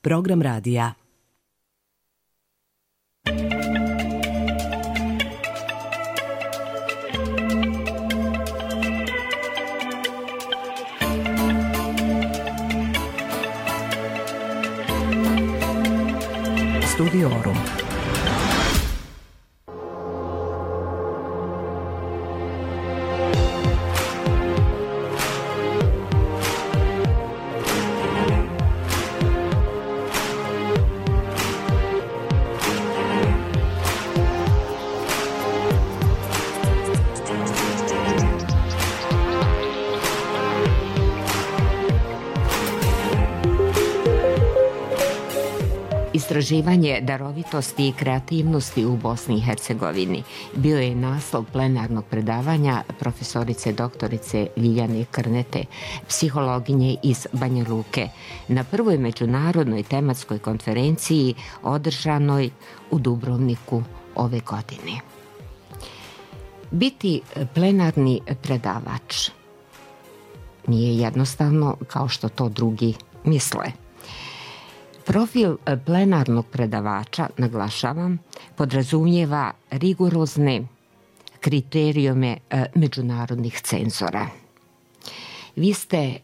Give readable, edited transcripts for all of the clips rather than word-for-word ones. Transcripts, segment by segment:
program radija. Studiorum. Istraživanje darovitosti i kreativnosti u Bosni i Hercegovini bio je naslov plenarnog predavanja profesorice doktorice Ljiljane Krnete, psihologinje iz Banja Luke, na prvoj međunarodnoj tematskoj konferenciji održanoj u Dubrovniku ove godine. Biti plenarni predavač nije jednostavno kao što to drugi misle. Profil plenarnog predavača, naglašavam, podrazumijeva rigorozne kriterijume međunarodnih cenzora. Vi ste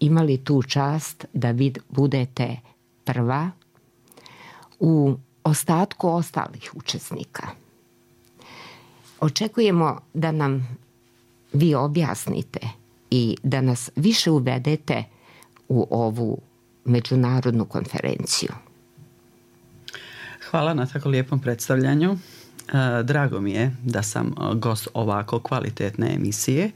imali tu čast da vi budete prva u ostatku ostalih učesnika. Očekujemo da nam vi objasnite i da nas više uvedete u ovu međunarodnu konferenciju. Hvala na tako lijepom predstavljanju. Drago mi je da sam gost ovako kvalitetne emisije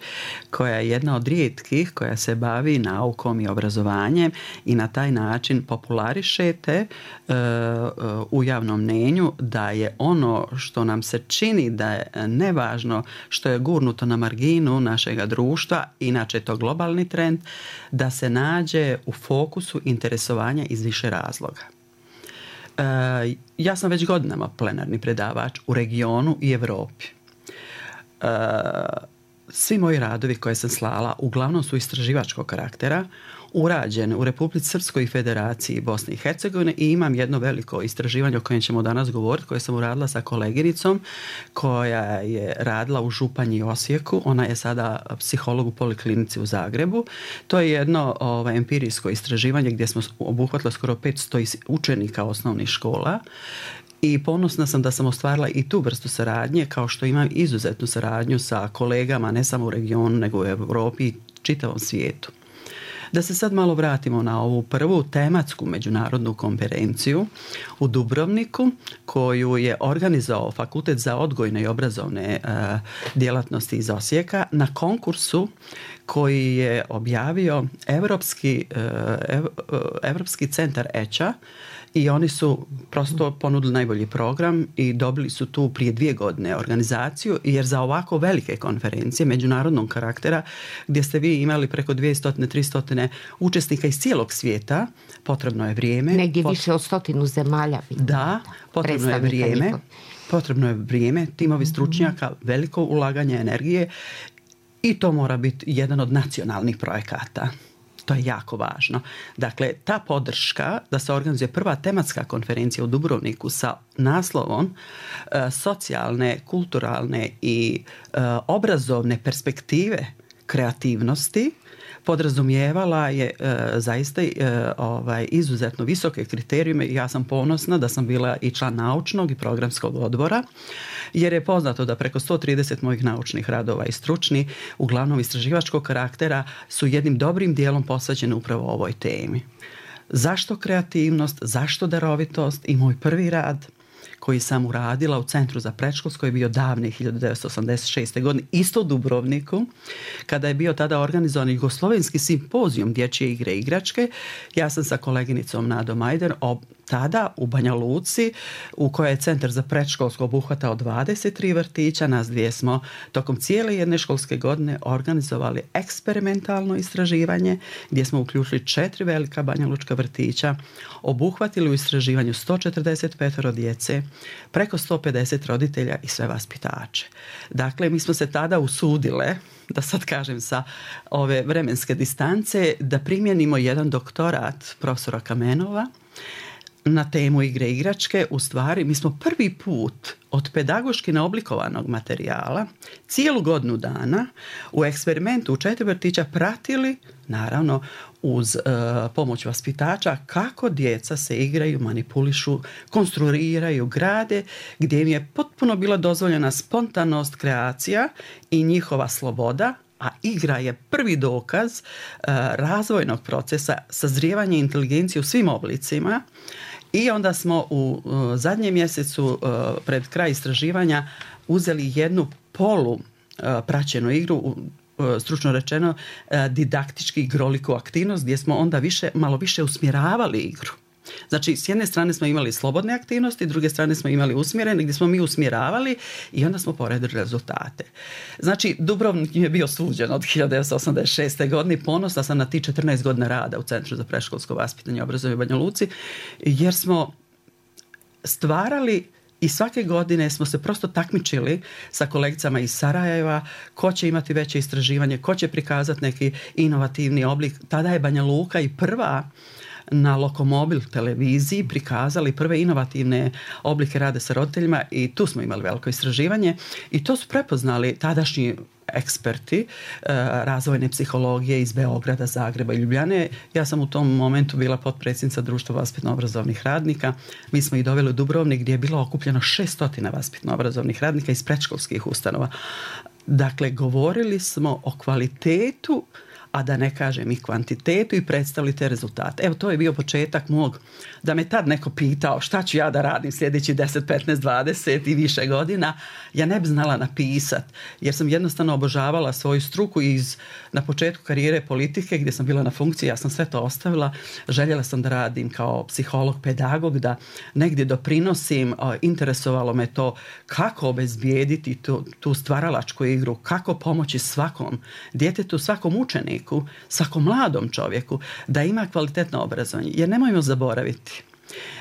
koja je jedna od rijetkih koja se bavi naukom i obrazovanjem i na taj način popularišete u javnom mnijenju da je ono što nam se čini da je nevažno, što je gurnuto na marginu našega društva, inače je to globalni trend, da se nađe u fokusu interesovanja iz više razloga. Ja sam već godinama plenarni predavač u regionu i Europi. Svi moji radovi koje sam slala uglavnom su istraživačkog karaktera, urađene u Republici Srpskoj i Federaciji Bosne i Hercegovine i imam jedno veliko istraživanje o kojem ćemo danas govoriti, koje sam uradila sa koleginicom koja je radila u Županji i Osijeku. Ona je sada psiholog u Poliklinici u Zagrebu. To je jedno empirijsko istraživanje gdje smo obuhvatili skoro 500 učenika osnovnih škola. I ponosna sam da sam ostvarila i tu vrstu saradnje, kao što imam izuzetnu saradnju sa kolegama ne samo u regionu nego u Europi i čitavom svijetu. Da se sad malo vratimo na ovu prvu tematsku međunarodnu konferenciju u Dubrovniku koju je organizovao Fakultet za odgojne i obrazovne djelatnosti iz Osijeka na konkursu koji je objavio Europski centar EČA i oni su prosto ponudili najbolji program i dobili su tu prije 2 godine organizaciju, jer za ovako velike konferencije međunarodnog karaktera gdje ste vi imali preko 200-300 učesnika iz cijelog svijeta, potrebno je vrijeme. Negdje više od 100 zemalja. Da, potrebno je vrijeme, timovi stručnjaka, veliko ulaganje energije i to mora biti jedan od nacionalnih projekata. To je jako važno. Dakle, ta podrška da se organizuje prva tematska konferencija u Dubrovniku sa naslovom socijalne, kulturalne i obrazovne perspektive kreativnosti podrazumijevala je zaista izuzetno visoke kriterijume i ja sam ponosna da sam bila i član naučnog i programskog odbora, jer je poznato da preko 130 mojih naučnih radova i stručni, uglavnom istraživačkog karaktera, su jednim dobrim dijelom posvećeni upravo ovoj temi. Zašto kreativnost, zašto darovitost? I moj prvi rad koji sam uradila u Centru za predškolsko je bio davne 1986. godine, isto u Dubrovniku, kada je bio tada organizovan jugoslovenski simpozijum dječje igre i igračke. Ja sam sa koleginicom Nadom Majder tada u Banja Luci, u kojoj je Centar za predškolsko obuhvatao 23 vrtića, nas dvije smo tokom cijele jedne školske godine organizovali eksperimentalno istraživanje gdje smo uključili 4 velika banjalučka vrtića, obuhvatili u istraživanju 145 djece, preko 150 roditelja i sve vaspitače. Dakle, mi smo se tada usudile, da sad kažem sa ove vremenske distance, da primjenimo jedan doktorat profesora Kamenova na temu igre i igračke, u stvari mi smo prvi put od pedagoški neoblikovanog materijala cijelu godinu dana u eksperimentu u 4 vrtića pratili, naravno uz pomoć vaspitača, kako djeca se igraju, manipulišu, konstruiraju, grade, gdje im je potpuno bila dozvoljena spontanost, kreacija i njihova sloboda, a igra je prvi dokaz razvojnog procesa sazrijevanja inteligencije u svim oblicima. I onda smo u zadnjem mjesecu pred kraj istraživanja uzeli jednu praćenu igru, stručno rečeno didaktički igroliku aktivnost, gdje smo onda malo više usmjeravali igru. Znači, s jedne strane smo imali slobodne aktivnosti, s druge strane smo imali usmjerene, gdje smo mi usmjeravali i onda smo poredili rezultate. Znači, Dubrovnik je bio suđen od 1986. godine. Ponosna sam na ti 14 godina rada u Centru za predškolsko vaspitanje i obrazovanje u Banja Luci, jer smo stvarali i svake godine smo se prosto takmičili sa kolegicama iz Sarajeva ko će imati veće istraživanje, ko će prikazati neki inovativni oblik. Tada je Banja Luka i prva na Lokomobil televiziji prikazali prve inovativne oblike rada sa roditeljima i tu smo imali veliko istraživanje i to su prepoznali tadašnji eksperti razvojne psihologije iz Beograda, Zagreba i Ljubljane. Ja sam u tom momentu bila potpredsjednica Društva vaspitno-obrazovnih radnika. Mi smo ih doveli u Dubrovnik gdje je bilo okupljeno 600 vaspitno-obrazovnih radnika iz predškolskih ustanova. Dakle, govorili smo o kvalitetu, a da ne kažem i kvantitetu, i predstavili te rezultate. Evo, to je bio početak mog, da me tad neko pitao šta ću ja da radim sljedeći 10, 15, 20 i više godina, ja ne bi znala napisat, jer sam jednostavno obožavala svoju struku na početku karijere politike gdje sam bila na funkciji, ja sam sve to ostavila, željela sam da radim kao psiholog, pedagog, da negdje doprinosim, interesovalo me to kako obezbijediti tu stvaralačku igru, kako pomoći svakom djetetu, svakom učeniku, svakom mladom čovjeku da ima kvalitetno obrazovanje. Jer nemojmo zaboraviti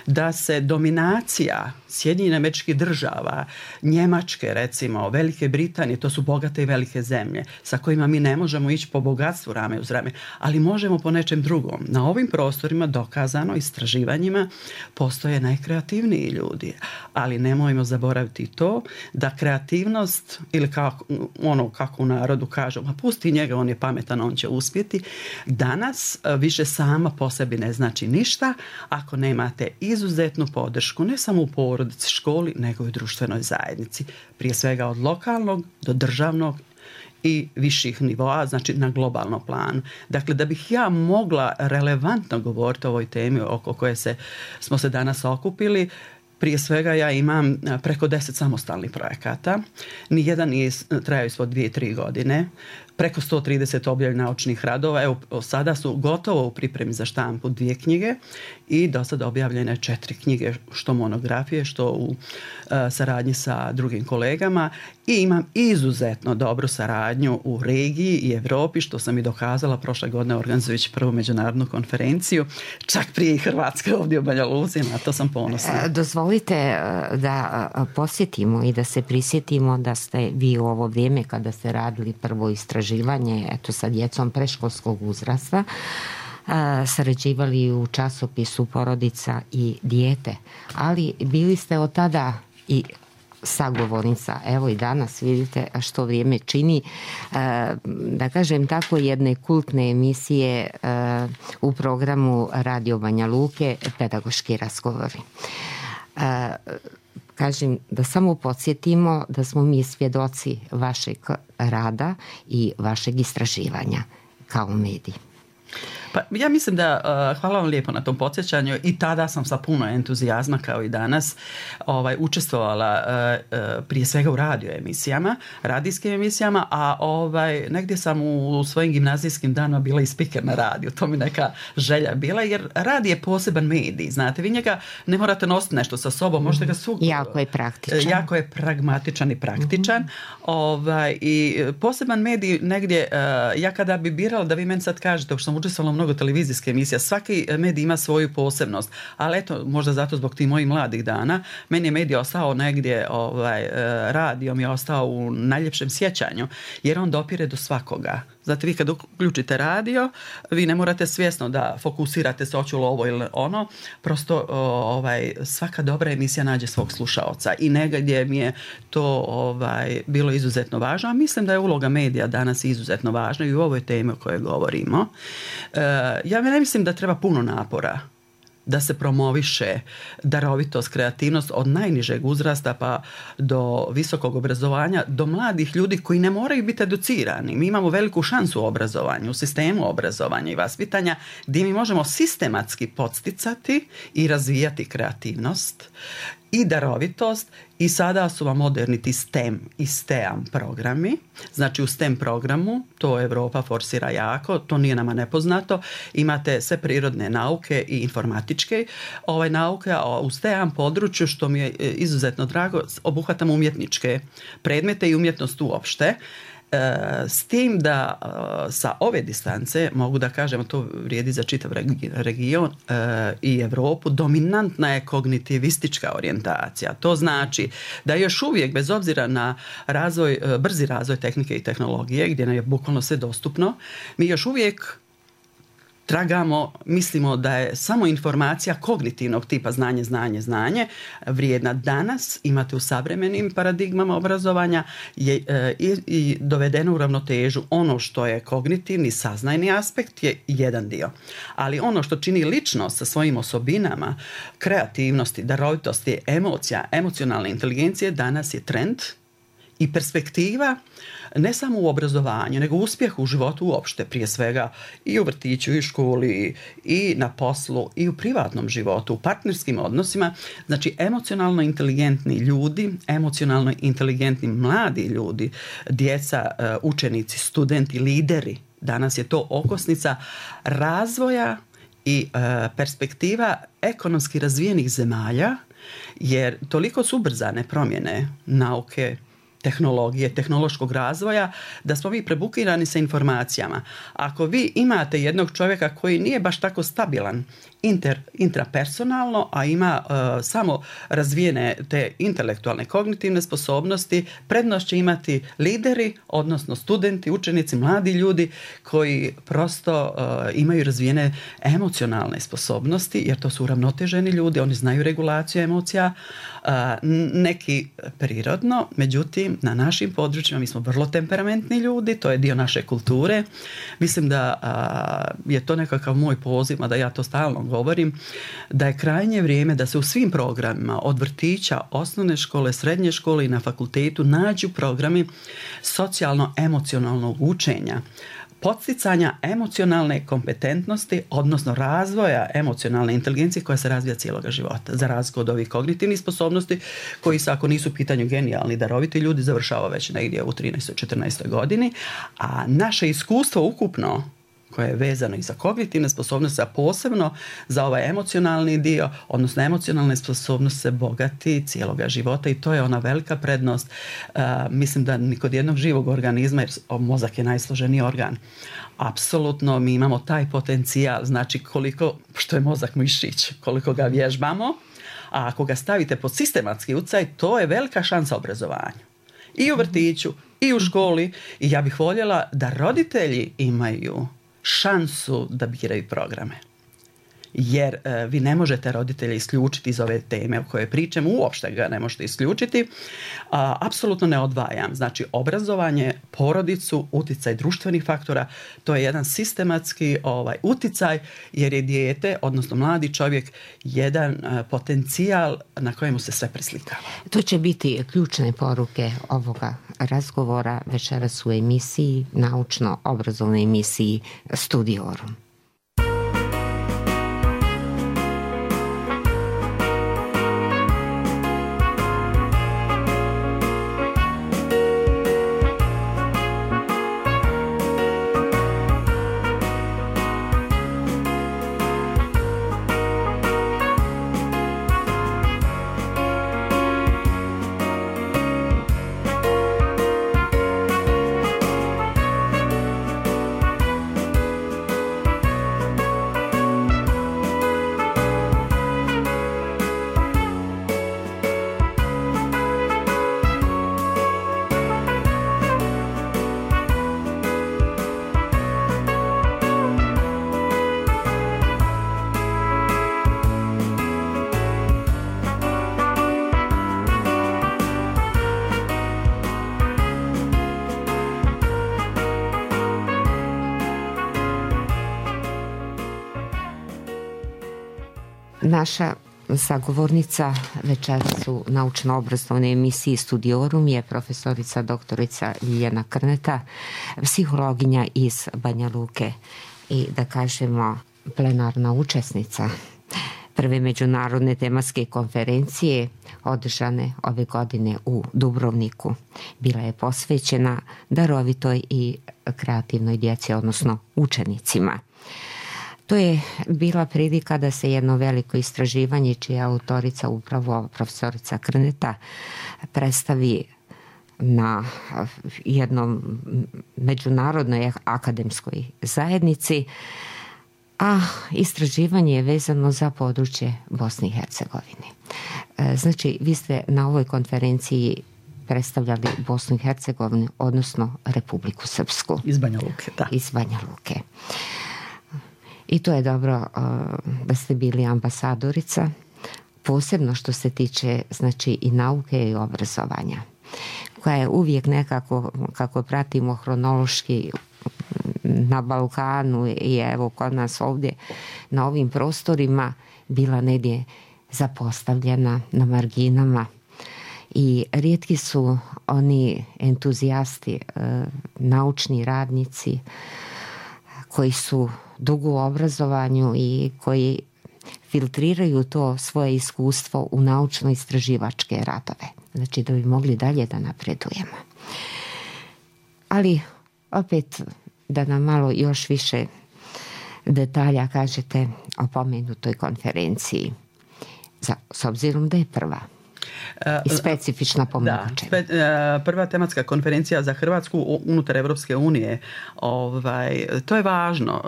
da se dominacija Sjedinjenih Američkih Država, Njemačke recimo, Velike Britanije, to su bogate i velike zemlje sa kojima mi ne možemo ići po bogatstvu rame uz rame, ali možemo po nečem drugom. Na ovim prostorima dokazano istraživanjima postoje najkreativniji ljudi, ali nemojmo zaboraviti to da kreativnost, ili kako u narodu kažu, ma pusti njega, on je pametan, on će uspjeti, danas više sama po sebi ne znači ništa ako nemate izuzetnu podršku ne samo u porodici, školi, nego i u društvenoj zajednici. Prije svega od lokalnog do državnog i viših nivoa, znači na globalnom planu. Dakle, da bih ja mogla relevantno govoriti o ovoj temi oko koje smo se danas okupili, prije svega ja imam preko 10 samostalnih projekata. Nijedan nije trajao ispod 2-3 godine. Preko 130 objavljenih naučnih radova. Evo, sada su gotovo u pripremi za štampu 2 knjige i do sada objavljene 4 knjige, što monografije, što u saradnji sa drugim kolegama. I imam izuzetno dobru saradnju u regiji i Europi, što sam i dokazala prošle godine organizujući prvu međunarodnu konferenciju, čak prije i Hrvatske ovdje u Banja Luci, na to sam ponosna. Dozvolite da posjetimo i da se prisjetimo da ste vi u ovo vrijeme kada ste radili prvo istraživanje sa djecom predškolskog uzrasta sarađivali u časopisu Porodica i dijete, ali bili ste od tada i sagovornica, evo i danas vidite što vrijeme čini, da kažem tako, jedne kultne emisije u programu Radio Banja Luke, Pedagoški razgovori. Kažem da samo podsjetimo da smo mi svjedoci vašeg rada i vašeg istraživanja kao medij. Pa ja mislim da, hvala vam lijepo na tom podsjećanju, i tada sam sa puno entuzijazma kao i danas učestvovala prije svega u radijskim emisijama, a negdje sam u svojim gimnazijskim danima bila i spiker na radiju, to mi neka želja bila, jer radij je poseban medij, znate, vi njega ne morate nositi nešto sa sobom, možete ga jako je praktičan. Jako je pragmatičan i praktičan. I poseban medij negdje, ja kada bi birala, da vi meni sad kažete, što sam učestvovala mnogo televizijske emisije, svaki medij ima svoju posebnost, ali eto, možda zato zbog tih mojih mladih dana, meni je medij ostao negdje, radio mi je ostao u najljepšem sjećanju, jer on dopire do svakoga. Zato vi kad uključite radio, vi ne morate svjesno da fokusirate se hoću li ovo ili ono. Prosto svaka dobra emisija nađe svog slušaoca i negdje mi je to bilo izuzetno važno. A mislim da je uloga medija danas izuzetno važna i u ovoj temi o kojoj govorimo. Ja ne mislim da treba puno napora da se promoviše darovitost, kreativnost od najnižeg uzrasta pa do visokog obrazovanja, do mladih ljudi koji ne moraju biti educirani. Mi imamo veliku šansu u obrazovanju, u sistemu obrazovanja i vaspitanja gdje mi možemo sistematski podsticati i razvijati kreativnost i darovitost i sada su vam moderni ti STEM i STEAM programi. Znači u STEM programu, to Europa forsira jako, to nije nama nepoznato, imate sve prirodne nauke i informatičke nauke, a u STEAM području, što mi je izuzetno drago, obuhvatamo umjetničke predmete i umjetnost uopšte. S tim da sa ove distance, mogu da kažem, to vrijedi za čitav region i Europu, dominantna je kognitivistička orijentacija. To znači da još uvijek, bez obzira na brzi razvoj tehnike i tehnologije, gdje nam je bukvalno sve dostupno, mi još uvijek tragamo, mislimo da je samo informacija kognitivnog tipa znanje vrijedna. Danas imate u savremenim paradigmama obrazovanja i dovedeno u ravnotežu. Ono što je kognitivni, saznajni aspekt je jedan dio. Ali ono što čini ličnost sa svojim osobinama, kreativnosti, darovitosti, emocija, emocionalne inteligencije, danas je trend i perspektiva ne samo u obrazovanju, nego uspjehu u životu uopšte, prije svega i u vrtiću, i u školi, i na poslu, i u privatnom životu, u partnerskim odnosima. Znači, emocionalno inteligentni ljudi, emocionalno inteligentni mladi ljudi, djeca, učenici, studenti, lideri, danas je to okosnica razvoja i perspektiva ekonomski razvijenih zemalja, jer toliko su ubrzane promjene nauke, tehnologije, tehnološkog razvoja, da smo mi prebukirani sa informacijama. Ako vi imate jednog čovjeka koji nije baš tako stabilan intrapersonalno, a ima samo razvijene te intelektualne kognitivne sposobnosti, prednost će imati lideri, odnosno studenti, učenici, mladi ljudi koji prosto imaju razvijene emocionalne sposobnosti, jer to su uravnoteženi ljudi, oni znaju regulaciju emocija, neki prirodno, međutim na našim područjima mi smo vrlo temperamentni ljudi, to je dio naše kulture. Mislim da je to nekakav moj poziv, a da ja to stalno govorim, da je krajnje vrijeme da se u svim programima od vrtića, osnovne škole, srednje škole i na fakultetu nađu programi socijalno-emocionalnog učenja, podsticanja emocionalne kompetentnosti, odnosno razvoja emocionalne inteligencije koja se razvija cijeloga života, za razliku od ovih kognitivnih sposobnosti koji se, ako nisu u pitanju genijalni, daroviti ljudi, završava već negdje u 13. 14. godini, a naše iskustvo ukupno koje je vezano i za kognitivne sposobnosti, a posebno za ovaj emocionalni dio, odnosno emocionalne sposobnosti se bogati cijeloga života i to je ona velika prednost. Mislim da ni kod jednog živog organizma, jer mozak je najsloženiji organ, apsolutno mi imamo taj potencijal, znači koliko, što je mozak mišić, koliko ga vježbamo, a ako ga stavite pod sistematski utjecaj, to je velika šansa obrazovanju. I u vrtiću, i u školi, i ja bih voljela da roditelji imaju šansu da biraju programe. Jer vi ne možete roditelje isključiti iz ove teme o kojoj pričam, uopšte ga ne možete isključiti. Apsolutno ne odvajam. Znači, obrazovanje, porodicu, utjecaj društvenih faktora, to je jedan sistematski utjecaj, jer je dijete, odnosno mladi čovjek, jedan potencijal na kojemu se sve preslikava. To će biti ključne poruke ovoga razgovora večeras u emisiji, naučno-obrazovnoj emisiji Studiorum. Naša sagovornica večeras u naučno-obrazovnoj emisiji Studiorum je profesorica doktorica Ljiljana Krneta, psihologinja iz Banja Luke i da kažemo plenarna učesnica prve međunarodne tematske konferencije održane ove godine u Dubrovniku. Bila je posvećena darovitoj i kreativnoj djeci, odnosno učenicima. To je bila prilika da se jedno veliko istraživanje, čija je autorica upravo profesorica Krneta, predstavi na jednom međunarodnoj akademskoj zajednici, a istraživanje je vezano za područje Bosne i Hercegovine. Znači, vi ste na ovoj konferenciji predstavljali Bosnu i Hercegovinu, odnosno Republiku Srpsku. Iz Banja Luke, da. Iz Banja Luke. I to je dobro da ste bili ambasadorica, posebno što se tiče, znači, i nauke i obrazovanja, koja je uvijek nekako, kako pratimo hronološki na Balkanu i evo kod nas ovdje na ovim prostorima, bila negdje zapostavljena na marginama. I rijetki su oni entuzijasti, naučni radnici koji su dugo u obrazovanju i koji filtriraju to svoje iskustvo u naučno-istraživačke radove. Znači da bi mogli dalje da napredujemo. Ali opet da nam malo još više detalja kažete o pomenutoj konferenciji, s obzirom da je prva i specifična po mnogo čemu. Prva tematska konferencija za Hrvatsku unutar Evropske unije. To je važno.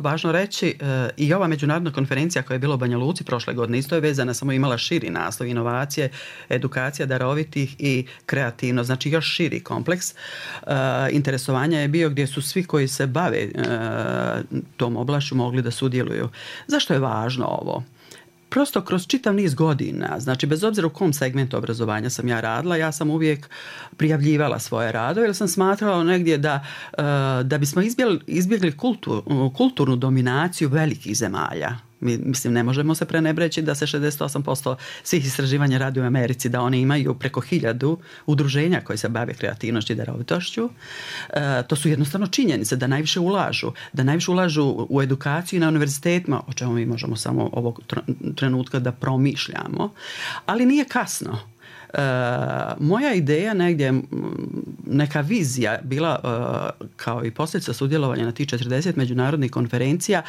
Važno reći, i ova međunarodna konferencija koja je bila u Banja Luci prošle godine isto je vezana, samo imala širi naslov, inovacije, edukacija darovitih i kreativno, znači još širi kompleks. Interesovanja je bio gdje su svi koji se bave tom oblašću mogli da sudjeluju. Zašto je važno ovo? Prosto kroz čitav niz godina, znači bez obzira u kom segmentu obrazovanja sam ja radila, ja sam uvijek prijavljivala svoje radove jer sam smatrala negdje da bismo izbjegli kulturnu dominaciju velikih zemalja. Mislim, ne možemo se prenebreći da se 68% svih istraživanja radi u Americi, da oni imaju preko 1000 udruženja koji se bave kreativnošću i darovitošću. To su jednostavno činjenice da najviše ulažu u edukaciju i na univerzitetima, o čemu mi možemo samo ovog trenutka da promišljamo, ali nije kasno. Moja ideja negdje, neka vizija bila kao i posljedica sudjelovanja na tih 40 međunarodnih konferencija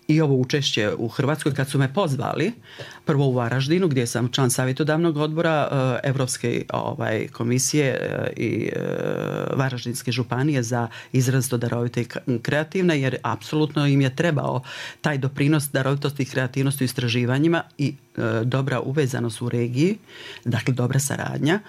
i ovo učešće u Hrvatskoj kad su me pozvali, prvo u Varaždinu gdje sam član savjetodavnog odbora Evropske komisije i Varaždinske županije za izrazito darovite i kreativne, jer apsolutno im je trebao taj doprinos darovitosti i kreativnosti u istraživanjima i dobra uvezanost u regiji, dakle dobra saradnja.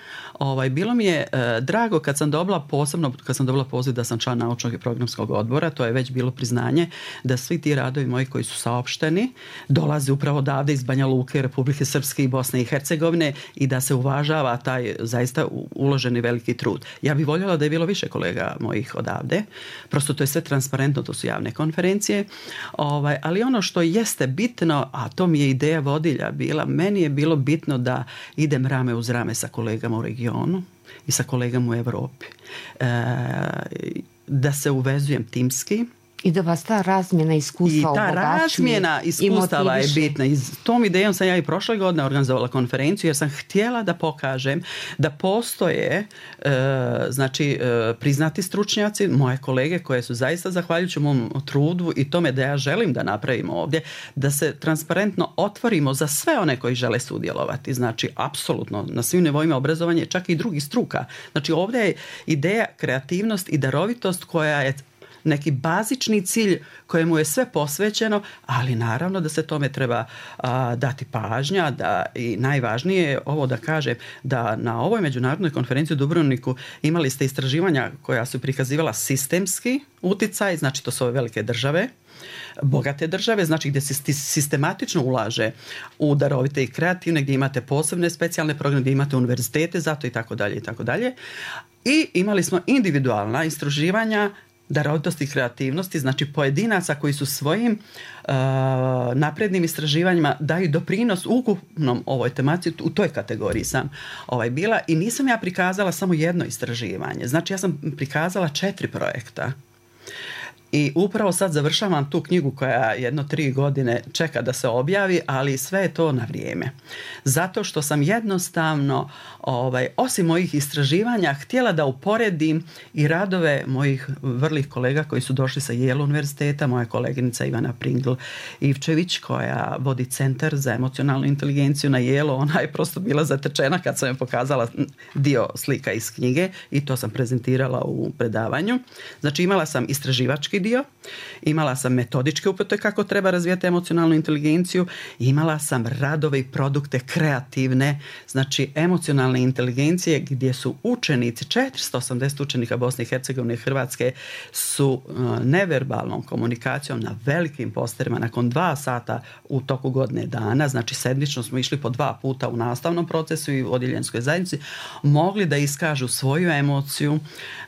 Bilo mi je drago kad sam dobila poziv da sam član naučnog i programskog odbora, to je već bilo priznanje da svi ti radovi moji koji su saopšteni dolaze upravo odavde iz Banja Luke, Republike Srpske i Bosne i Hercegovine i da se uvažava taj zaista uloženi veliki trud. Ja bih voljela da je bilo više kolega mojih odavde, prosto to je sve transparentno, to su javne konferencije, ali ono što jeste bitno, a to mi je ideja vodilja bila, meni je bilo bitno da idem rame uz rame sa kolegama u regionu i sa kolegama u Europi. Da se uvezujem timski. I da vas ta razmjena iskustva obogaćuje. I ta razmjena iskustava je bitna. I s tom idejom sam ja i prošle godine organizovala konferenciju jer sam htjela da pokažem da postoje priznati stručnjaci, moje kolege koje su zaista zahvaljujući mom trudu i tome da ja želim da napravimo ovdje, da se transparentno otvorimo za sve one koji žele sudjelovati. Znači, apsolutno, na svim nivoima obrazovanja, čak i drugih struka. Znači, ovdje je ideja kreativnost i darovitost koja je neki bazični cilj kojemu je sve posvećeno, ali naravno da se tome treba dati pažnja, da i najvažnije je ovo da kažem da na ovoj međunarodnoj konferenciji u Dubrovniku imali ste istraživanja koja su prikazivala sistemski uticaj, znači to su ove velike države, bogate države, znači gdje se sistematično ulaže u darovite i kreativne, gdje imate posebne specijalne programe, gdje imate univerzitete, zato i tako dalje i tako dalje. I imali smo individualna istraživanja darovitosti i kreativnosti, znači pojedinaca koji su svojim naprednim istraživanjima daju doprinos ukupnom ovoj tematici, u toj kategoriji sam bila i nisam ja prikazala samo jedno istraživanje, znači ja sam prikazala 4 projekta. I upravo sad završavam tu knjigu koja 1-3 godine čeka da se objavi, ali sve je to na vrijeme. Zato što sam jednostavno, osim mojih istraživanja, htjela da uporedim i radove mojih vrlih kolega koji su došli sa Yale univerziteta, moja koleginica Ivana Pringl-Ivčević koja vodi centar za emocionalnu inteligenciju na Yale, ona je prosto bila zatečena kad sam joj pokazala dio slika iz knjige i to sam prezentirala u predavanju. Znači imala sam istraživački dio, imala sam metodičke upute kako treba razvijati emocionalnu inteligenciju, imala sam radove i produkte kreativne, znači emocionalne inteligencije gdje su učenici, 480 učenika Bosne i Hercegovine i Hrvatske su neverbalnom komunikacijom na velikim posterima nakon 2 sata u toku godine dana, znači sedmično smo išli po 2 puta u nastavnom procesu i u odjeljenskoj zajednici, mogli da iskažu svoju emociju,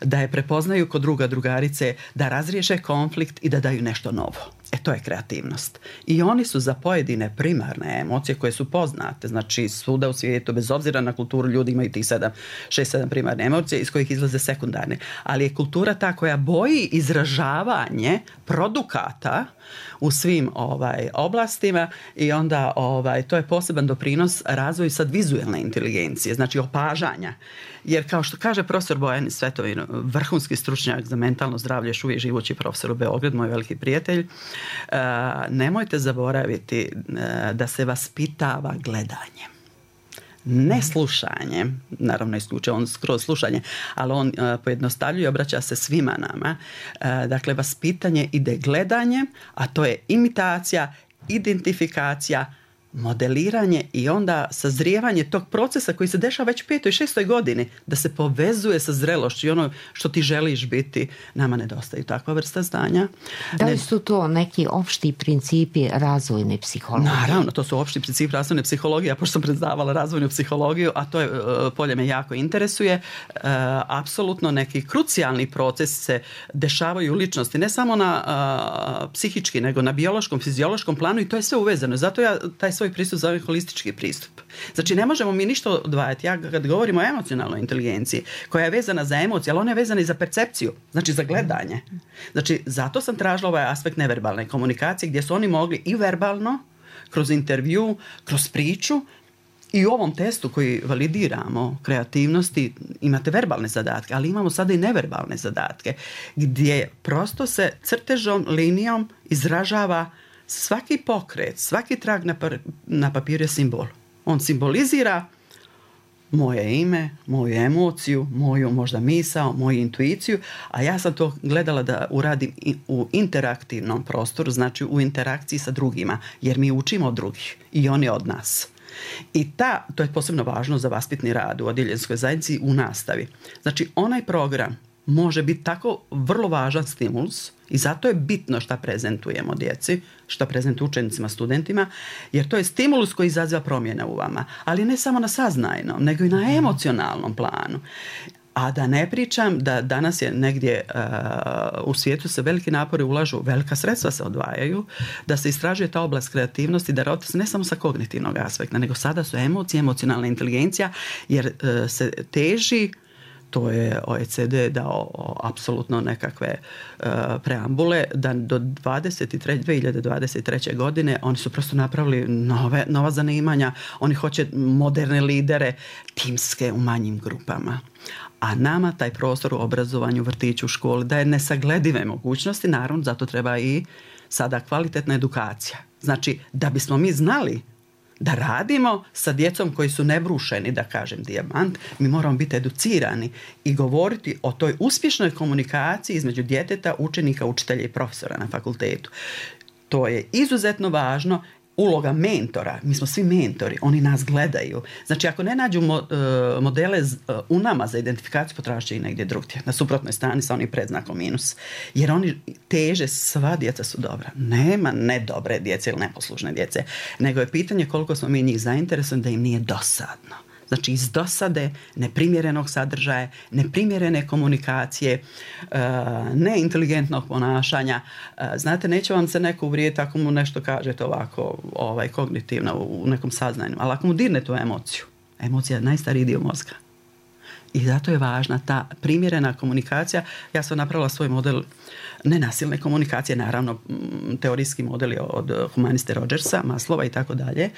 da je prepoznaju kod druga, drugarice, da razriješe konflikt i da daju nešto novo. To je kreativnost. I oni su za pojedine primarne emocije koje su poznate, znači svuda u svijetu, bez obzira na kulturu, ljudi imaju tih 6-7 primarne emocije iz kojih izlaze sekundarne. Ali je kultura ta koja boji izražavanje produkata u svim oblastima i onda to je poseban doprinos razvoju sad vizualne inteligencije, znači opažanja. Jer kao što kaže profesor Bojan Svetovin, vrhunski stručnjak za mentalno zdravlje, još uvijek živući profesor u Beogradu, moj veliki prijatelj, nemojte zaboraviti da se vaspitava gledanjem. Ne slušanjem, naravno isključuje on skroz slušanje, ali on pojednostavljuje i obraća se svima nama. Dakle, vaspitanje ide gledanjem, a to je imitacija, identifikacija, modeliranje i onda sazrijevanje tog procesa koji se dešava već u 5. i 6. godini, da se povezuje sa zrelošću i ono što ti želiš biti, nama nedostaju takva vrsta znanja. Da li su to neki opšti principi razvojne psihologije? Naravno, to su opšti principi razvojne psihologije, a pošto sam predavala razvojnu psihologiju, a to je polje me jako interesuje, apsolutno neki krucijalni proces se dešavaju u ličnosti, ne samo na psihički, nego na biološkom, fiziološkom planu i to je sve uvezano. Zato ja taj svoj pristup zove holistički pristup. Znači ne možemo mi ništa odvajati. Ja kad govorimo o emocionalnoj inteligenciji koja je vezana za emocije, ali ona je vezana i za percepciju, znači za gledanje. Znači zato sam tražila ovaj aspekt neverbalne komunikacije gdje su oni mogli i verbalno, kroz intervju, kroz priču i u ovom testu koji validiramo kreativnosti imate verbalne zadatke, ali imamo sada i neverbalne zadatke gdje prosto se crtežom, linijom izražava svaki pokret, svaki trag na papiru je simbol. On simbolizira moje ime, moju emociju, moju možda misao, moju intuiciju, a ja sam to gledala da uradim u interaktivnom prostoru, znači u interakciji sa drugima, jer mi učimo od drugih i oni od nas. I to je posebno važno za vaspitni rad u odjeljenskoj zajednici u nastavi. Znači onaj program može biti tako vrlo važan stimulus i zato je bitno šta prezentujemo djeci, šta prezentujemo učenicima, studentima, jer to je stimulus koji izaziva promjene u vama, ali ne samo na saznajnom, nego i na emocionalnom planu. A da ne pričam da danas je negdje u svijetu se veliki napori ulažu, velika sredstva se odvajaju, da se istražuje ta oblast kreativnosti, da se ne samo sa kognitivnog aspekta, nego sada su emocije, emocionalna inteligencija, jer se teži, to je OECD dao apsolutno nekakve preambule, da do 2023. godine oni su prosto napravili nova zanimanja, oni hoće moderne lidere, timske u manjim grupama. A nama taj prostor u obrazovanju, vrtiću, školi daje nesagledive mogućnosti, naravno zato treba i sada kvalitetna edukacija. Znači, da bismo mi znali da radimo sa djecom koji su nebrušeni, da kažem dijamant, mi moramo biti educirani i govoriti o toj uspješnoj komunikaciji između djeteta, učenika, učitelja i profesora na fakultetu. To je izuzetno važno. Uloga mentora, mi smo svi mentori, oni nas gledaju. Znači, ako ne nađu modele u nama za identifikaciju, potražit će i negdje drugdje. Na suprotnoj strani sa onim predznakom minus. Jer oni teže, sva djeca su dobra. Nema nedobre djece ili neposlušne djece. Nego je pitanje koliko smo mi njih zainteresovani da im nije dosadno. Znači iz dosade, neprimjerenog sadržaja, neprimjerene komunikacije, neinteligentnog ponašanja. Znate, neće vam se neko uvrijediti ako mu nešto kažete ovako kognitivno u nekom saznanju, ali ako mu dirne tu emociju, emocija je najstariji dio mozga. I zato je važna ta primjerena komunikacija. Ja sam napravila svoj model nenasilne komunikacije, naravno teorijski model je od humaniste Rogersa, Maslova i tako dalje.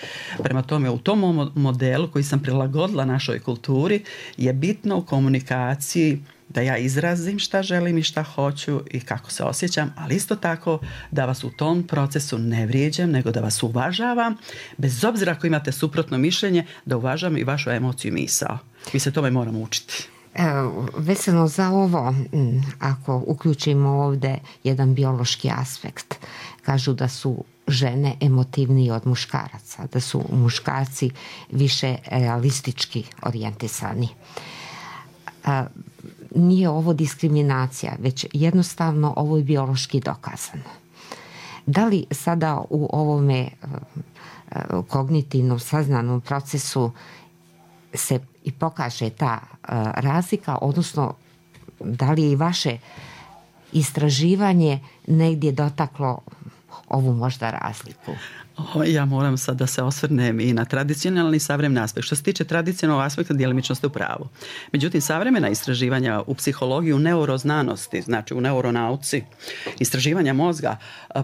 Prema tome, u tom modelu koji sam prilagodila našoj kulturi je bitno u komunikaciji da ja izrazim šta želim i šta hoću i kako se osjećam, ali isto tako da vas u tom procesu ne vrijeđam, nego da vas uvažavam, bez obzira ako imate suprotno mišljenje, da uvažam i vašu emociju i misao. Mi se tome moramo učiti. Vezano za ovo, ako uključimo ovdje jedan biološki aspekt, kažu da su žene emotivniji od muškaraca, da su muškarci više realistički orijentisani. Nije ovo diskriminacija, već jednostavno ovo je biološki dokazano. Da li sada u ovome kognitivnom saznanom procesu se i pokaže ta razlika, odnosno da li je i vaše istraživanje negdje dotaklo ovu možda razliku? Ja moram sad da se osvrnem i na tradicionalni i savremeni aspekt. Što se tiče tradicionalnog aspekta, djelimično ste u pravu. Međutim, savremena istraživanja u psihologiji, u neuroznanosti, znači u neuronauci, istraživanja mozga,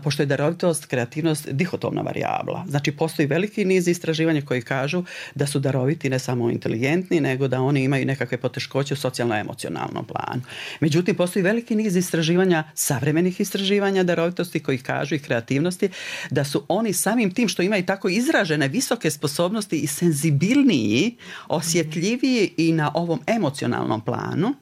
pošto je darovitost, kreativnost dihotomna varijabla. Znači, postoji veliki niz istraživanja koji kažu da su daroviti ne samo inteligentni, nego da oni imaju nekakve poteškoće u socijalno-emocionalnom planu. Međutim, postoji veliki niz istraživanja, savremenih istraživanja darovitosti koji kažu i kreativnosti da su oni samim tim što imaju tako izražene visoke sposobnosti i senzibilniji, osjetljiviji i na ovom emocionalnom planu.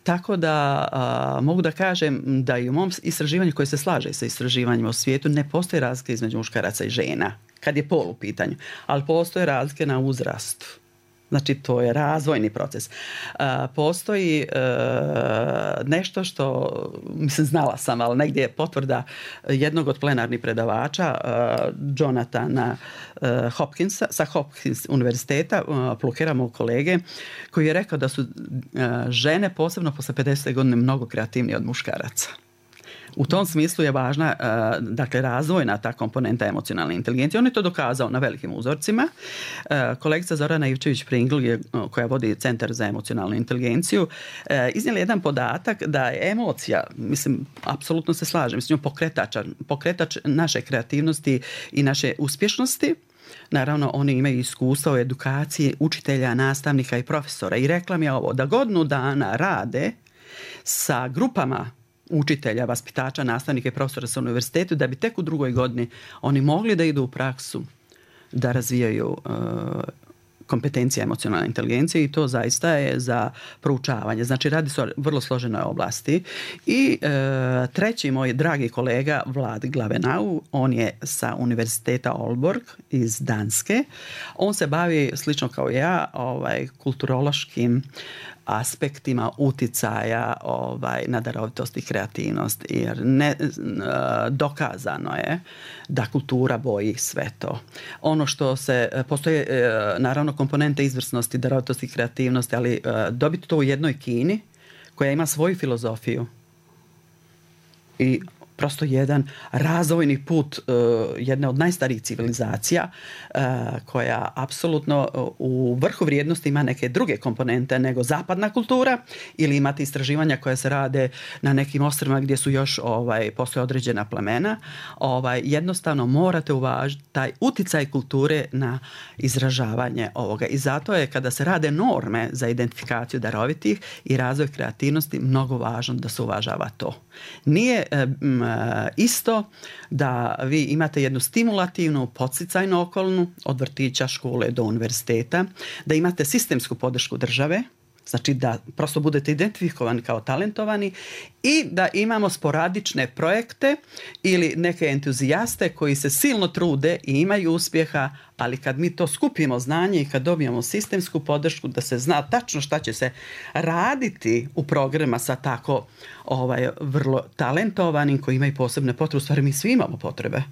Tako da mogu da kažem da i u mom istraživanju koje se slaže sa istraživanjima u svijetu ne postoje razlike između muškaraca i žena kad je pol u pitanju, ali postoje razlike na uzrastu. Znači, to je razvojni proces. Postoji nešto što, mislim, znala sam, ali negdje je potvrda jednog od plenarnih predavača, Jonathana Hopkinsa, sa Hopkins univerziteta, Plukera, mog kolege, koji je rekao da su žene, posebno posle 50. godine, mnogo kreativnije od muškaraca. U tom smislu je važna, dakle, razvojna ta komponenta emocionalne inteligencije. On je to dokazao na velikim uzorcima. Kolegica Zorana Ivčević-Pringl, koja vodi Centar za emocionalnu inteligenciju, iznijela jedan podatak da je emocija, mislim, apsolutno se slažem s njom, pokretač naše kreativnosti i naše uspješnosti. Naravno, oni imaju iskustva u edukaciji učitelja, nastavnika i profesora. I rekla mi je ovo, da godinu dana rade sa grupama učitelja, vaspitača, nastavnika i profesora sa univerzitetu, da bi tek u drugoj godini oni mogli da idu u praksu, da razvijaju kompetencije emocionalne inteligencije, i to zaista je za proučavanje. Znači, radi se o vrlo složenoj oblasti. I treći moj dragi kolega Vlad Glavenau, on je sa univerziteta Aalborg iz Danske. On se bavi, slično kao ja, kulturološkim aspektima uticaja na darovitost i kreativnost, jer dokazano je da kultura boji sve to. Ono što postoje naravno komponente izvrsnosti, darovitosti i kreativnosti, ali dobiti to u jednoj Kini koja ima svoju filozofiju i prosto jedan razvojni put jedne od najstarijih civilizacija koja apsolutno u vrhu vrijednosti ima neke druge komponente nego zapadna kultura, ili imate istraživanja koja se rade na nekim ostrvima gdje su još postoje određena plemena. Jednostavno morate uvažiti taj uticaj kulture na izražavanje ovoga. I zato je, kada se rade norme za identifikaciju darovitih i razvoj kreativnosti, mnogo važno da se uvažava to. Nije isto da vi imate jednu stimulativnu, podsticajnu okolnu od vrtića, škole do univerziteta, da imate sistemsku podršku države, znači da prosto budete identifikovani kao talentovani, i da imamo sporadične projekte ili neke entuzijaste koji se silno trude i imaju uspjeha, ali kad mi to skupimo znanje i kad dobijemo sistemsku podršku da se zna tačno šta će se raditi u programa sa tako vrlo talentovanim koji imaju posebne potrebe. U stvari mi svi imamo potrebe.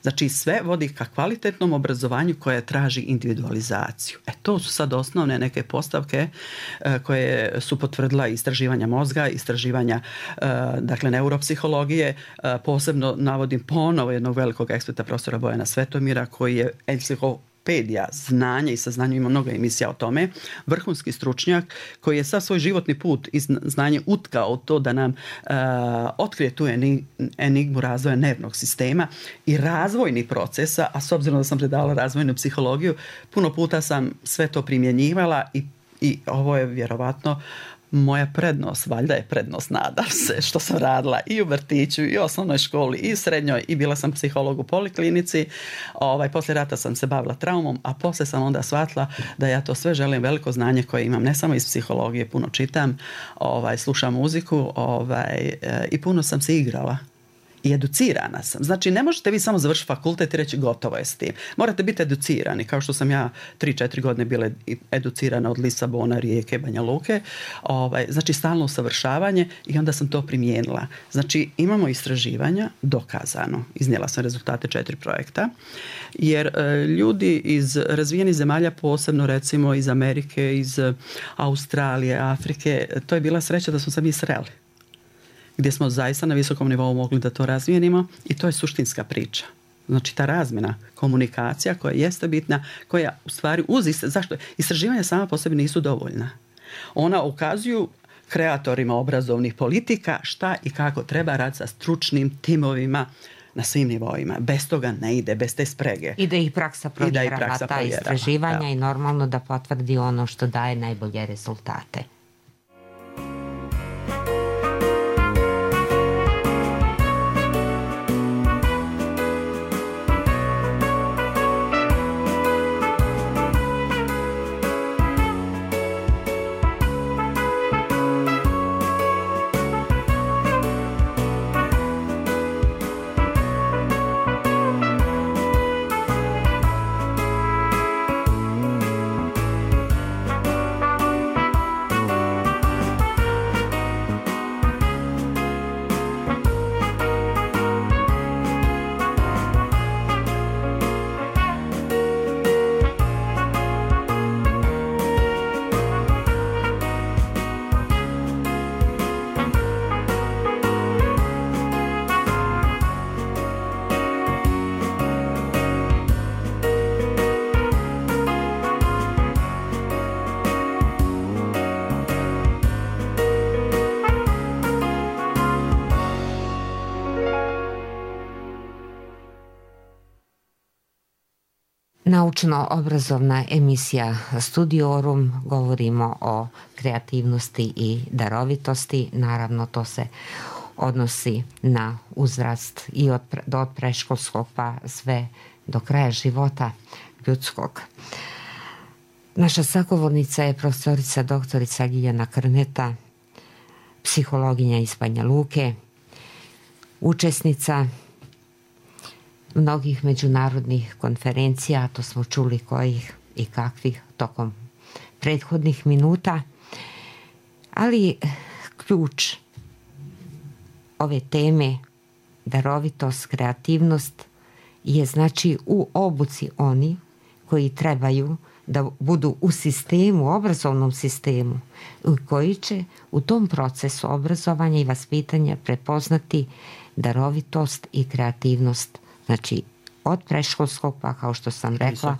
Znači sve vodi ka kvalitetnom obrazovanju koje traži individualizaciju. To su sad osnovne neke postavke koje su potvrdila istraživanja mozga, istraživanja dakle neuropsihologije. Posebno navodim ponovo jednog velikog eksperta, profesora Bojana Svetomira, koji je enciklopedija znanja i saznanja, ima mnogo emisija o tome, vrhunski stručnjak koji je sav svoj životni put i znanje utkao to da nam otkrije tu enigmu razvoja nervnog sistema i razvojnih procesa, a s obzirom da sam predavala razvojnu psihologiju, puno puta sam sve to primjenjivala i ovo je vjerovatno moja prednost, valjda je prednost, nadam se, što sam radila i u vrtiću i u osnovnoj školi i u srednjoj i bila sam psiholog u poliklinici. Poslije rata sam se bavila traumom, a poslije sam onda shvatila da ja to sve želim, veliko znanje koje imam, ne samo iz psihologije, puno čitam, slušam muziku i puno sam se igrala. I educirana sam. Znači, ne možete vi samo završiti fakultet i reći gotovo je s tim. Morate biti educirani, kao što sam ja 3-4 godine bila educirana od Lisabona, Rijeke, Banja Luke. Znači, stalno usavršavanje i onda sam to primijenila. Znači, imamo istraživanja, dokazano. Iznijela sam rezultate 4 projekta, jer ljudi iz razvijenih zemalja, posebno recimo iz Amerike, iz Australije, Afrike, to je bila sreća da smo se mi sreli, gdje smo zaista na visokom nivou mogli da to razvijenimo i to je suštinska priča. Znači ta razmjena, komunikacija koja jeste bitna, koja u stvari zašto? Istraživanja sama po sebi nisu dovoljna. Ona ukazuju kreatorima obrazovnih politika šta i kako treba raditi sa stručnim timovima na svim nivoima. Bez toga ne ide, bez te sprege. I da ih praksa provjerava ta istraživanja i normalno da potvrdi ono što daje najbolje rezultate. Naučno-obrazovna emisija Studiorum, govorimo o kreativnosti i darovitosti. Naravno, to se odnosi na uzrast i od predškolskog pa sve do kraja života ljudskog. Naša sagovornica je profesorica doktorica Ljiljana Krneta, psihologinja iz Banja Luke, učesnica mnogih međunarodnih konferencija, to smo čuli kojih i kakvih tokom prethodnih minuta, ali ključ ove teme, darovitost, kreativnost, je znači u obuci oni koji trebaju da budu u sistemu, obrazovnom sistemu, koji će u tom procesu obrazovanja i vaspitanja prepoznati darovitost i kreativnost. Znači, od predškolskog, pa kao što sam rekla,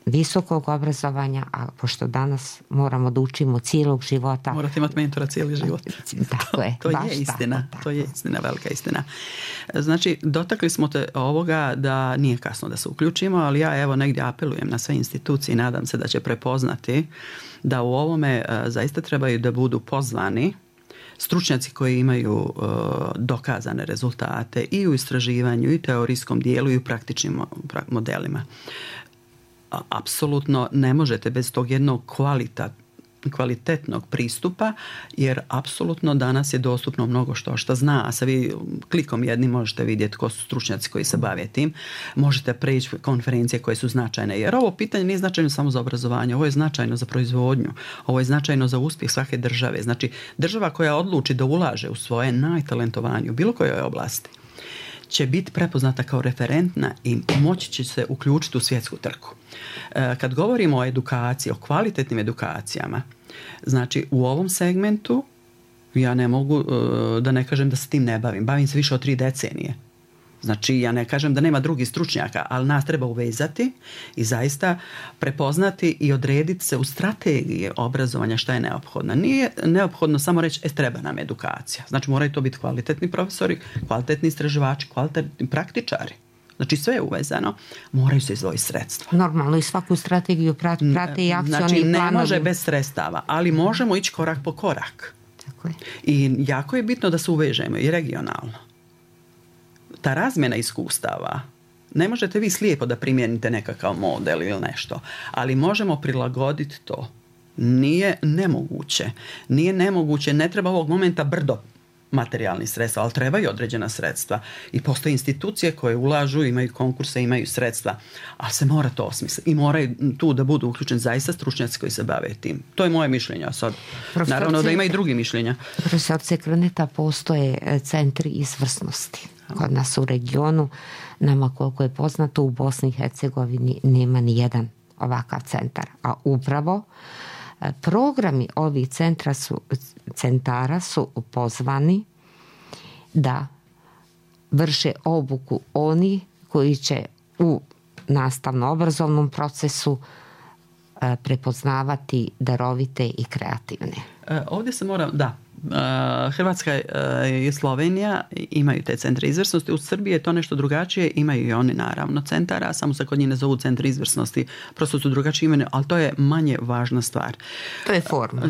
visokog obrazovanja, a pošto danas moramo da učimo cijelog života. Morate imati mentora cijeli život. Tako je. To je istina. To je istina, velika istina. Znači, dotakli smo te ovoga da nije kasno da se uključimo, ali ja evo negdje apelujem na sve institucije i nadam se da će prepoznati da u ovome zaista trebaju da budu pozvani stručnjaci koji imaju dokazane rezultate i u istraživanju i teorijskom dijelu i u praktičnim modelima. Apsolutno ne možete bez tog jednog kvalitetnog pristupa, jer apsolutno danas je dostupno mnogo što zna, a sa vi klikom jednim možete vidjeti ko su stručnjaci koji se bave tim, možete preći konferencije koje su značajne, jer ovo pitanje nije značajno samo za obrazovanje, ovo je značajno za proizvodnju, ovo je značajno za uspjeh svake države. Znači, država koja odluči da ulaže u svoje najtalentovanije u bilo kojoj oblasti će biti prepoznata kao referentna i moći će se uključiti u svjetsku trku. Kad govorimo o edukaciji, o kvalitetnim edukacijama, znači u ovom segmentu ja ne mogu da ne kažem da se tim ne bavim. Bavim se više od 3 decenije. Znači, ja ne kažem da nema drugih stručnjaka, ali nas treba uvezati i zaista prepoznati i odrediti se u strategiji obrazovanja šta je neophodno. Nije neophodno samo reći, treba nam edukacija. Znači, moraju to biti kvalitetni profesori, kvalitetni istraživači, kvalitetni praktičari. Znači, sve je uvezano, moraju se izdvojiti sredstva. Normalno, i svaku strategiju prate i akcioni planovi. Znači, ne može bez sredstava, ali možemo ići korak po korak. Tako je. I jako je bitno da se uvežemo i regionalno. Ta razmjena iskustava, ne možete vi slijepo da primijenite nekakav model ili nešto, ali možemo prilagoditi to. Nije nemoguće, ne treba ovog momenta brdo materijalnih sredstva, ali trebaju određena sredstva. I postoje institucije koje ulažu, imaju konkurse, imaju sredstva, ali se mora to osmisliti. I moraju tu da budu uključeni zaista stručnjaci koji se bave tim. To je moje mišljenje. Sad, naravno da ima i drugi mišljenja. Profesorice Krneta, postoje centri izvrsnosti kod nas u regionu. Nama, koliko je poznato, u Bosni i Hercegovini nema ni jedan ovakav centar. A upravo programi ovih centara su pozvani da vrše obuku oni koji će u nastavno-obrazovnom procesu prepoznavati darovite i kreativne. Ovdje se mora, Hrvatska i Slovenija imaju te centre izvrsnosti. U Srbiji je to nešto drugačije, imaju i oni naravno centara, samo se kod njih ne zovu centri izvrsnosti, prosto su drugačije imene, ali to je manje važna stvar.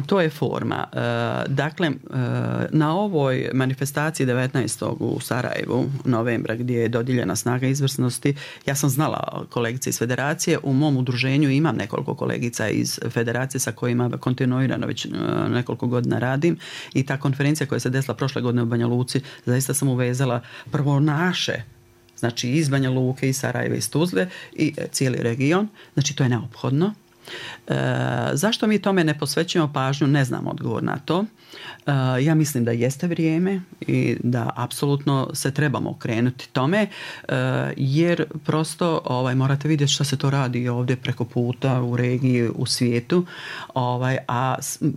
To je forma. Dakle, na ovoj manifestaciji 19. u Sarajevu novembra, gdje je dodijeljena snaga izvrsnosti, ja sam znala kolegice iz federacije, u mom udruženju imam nekoliko kolegica iz federacije sa kojima kontinuirano već nekoliko godina radim. I ta konferencija koja se desila prošle godine u Banja Luci, zaista sam uvezala prvo naše, znači iz Banja Luke, iz Sarajeva, iz Tuzle i cijeli region. Znači to je neophodno. Zašto mi tome ne posvećujemo pažnju, ne znam odgovor na to. Ja mislim da jeste vrijeme i da apsolutno se trebamo okrenuti tome, jer prosto morate vidjeti što se to radi ovdje preko puta u regiji, u svijetu, a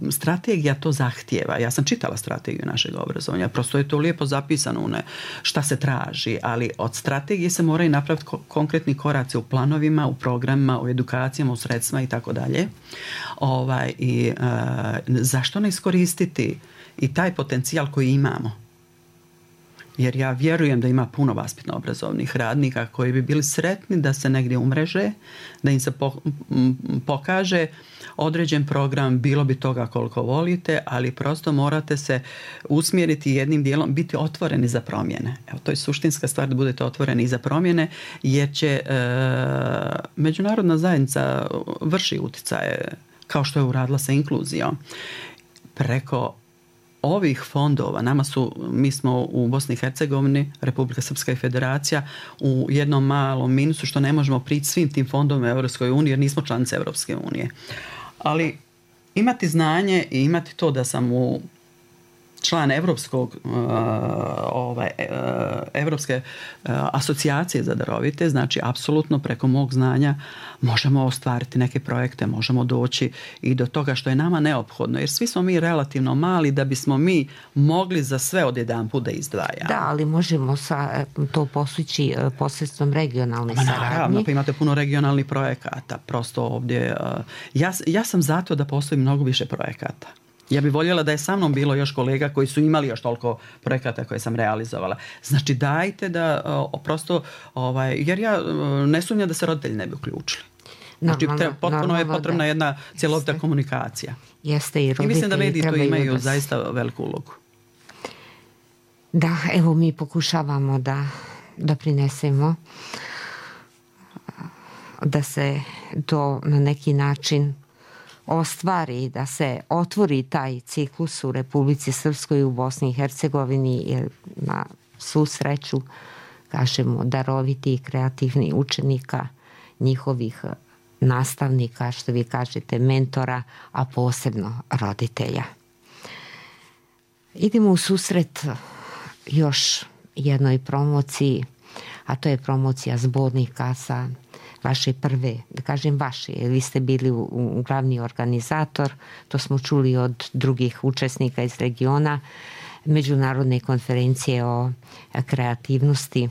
strategija to zahtijeva. Ja sam čitala strategiju našeg obrazovanja, prosto je to lijepo zapisano šta se traži, ali od strategije se moraju napraviti konkretni koraci u planovima, u programima, u edukacijama, u sredstvima i tako dalje. Zašto ne iskoristiti i taj potencijal koji imamo? Jer ja vjerujem da ima puno vaspitno-obrazovnih radnika koji bi bili sretni da se negdje umreže, da im se pokaže određen program, bilo bi toga koliko volite, ali prosto morate se usmjeriti jednim dijelom, biti otvoreni za promjene. Evo, to je suštinska stvar, da budete otvoreni i za promjene, jer će međunarodna zajednica vrši utjecaje, kao što je uradila sa inkluzijom. Preko ovih fondova, mi smo u Bosni i Hercegovini, Republika Srpska i Federacija, u jednom malom minusu što ne možemo prići svim tim fondovima Europskoj uniji jer nismo članice Europske unije. Ali imati znanje i imati to da sam član Europske asocijacije za darovite, znači apsolutno preko mog znanja možemo ostvariti neke projekte, možemo doći i do toga što je nama neophodno, jer svi smo mi relativno mali da bismo mi mogli za sve odjedanput da izdvajamo. Da, ali možemo to postići posredstvom regionalne saradnje. Naravno, pa imate puno regionalnih projekata, prosto ovdje. Ja sam zato da postoji mnogo više projekata. Ja bih voljela da je sa mnom bilo još kolega koji su imali još toliko projekata koje sam realizovala. Znači dajte da prosto, jer ja ne sumnjam da se roditelji ne bi uključili. Znači potpuno je potrebna jedna cjelovita komunikacija. Jeste i roditelji. I mislim da mediji tu imaju zaista veliku ulogu. Da, evo mi pokušavamo da prinesemo da se to na neki način ostvari, da se otvori taj ciklus u Republici Srpskoj i u Bosni i Hercegovini, jer na svu sreću, kažemo, daroviti i kreativni učenika, njihovih nastavnika, što vi kažete, mentora, a posebno roditelja. Idemo u susret još jednoj promociji a to je promocija zbornika sa vaše prve, da kažem vaše, vi ste bili glavni organizator, to smo čuli od drugih učesnika iz regiona, međunarodne konferencije o kreativnosti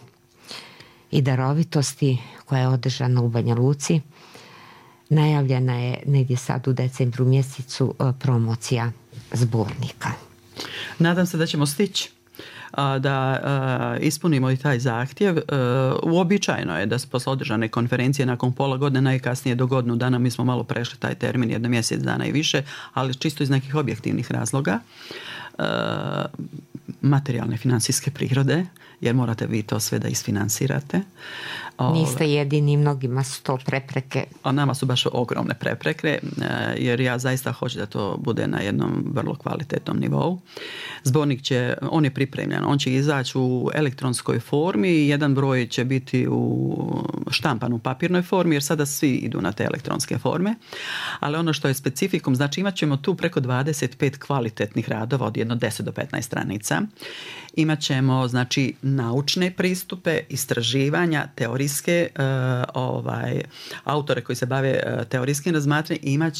i darovitosti koja je održana u Banja Luci. Najavljena je negdje sad u decembru mjesecu promocija zbornika. Nadam se da ćemo stići da ispunimo i taj zahtjev. Uobičajeno je da se posle održane konferencije nakon pola godine, najkasnije do godinu dana, mi smo malo prešli taj termin, jedno mjesec dana i više, ali čisto iz nekih objektivnih razloga, materijalne financijske prirode, jer morate vi to sve da isfinansirate. Niste jedini, mnogima su to prepreke. A nama su baš ogromne prepreke, jer ja zaista hoću da to bude na jednom vrlo kvalitetnom nivou. Zbornik on je pripremljen, on će izaći u elektronskoj formi i jedan broj će biti štampan u papirnoj formi, jer sada svi idu na te elektronske forme. Ali ono što je specifikum, znači imat ćemo tu preko 25 kvalitetnih radova od jedno 10 do 15 stranica. Imat ćemo znači naučne pristupe, istraživanja, teorijske autore koji se bave teorijskim razmatranjem.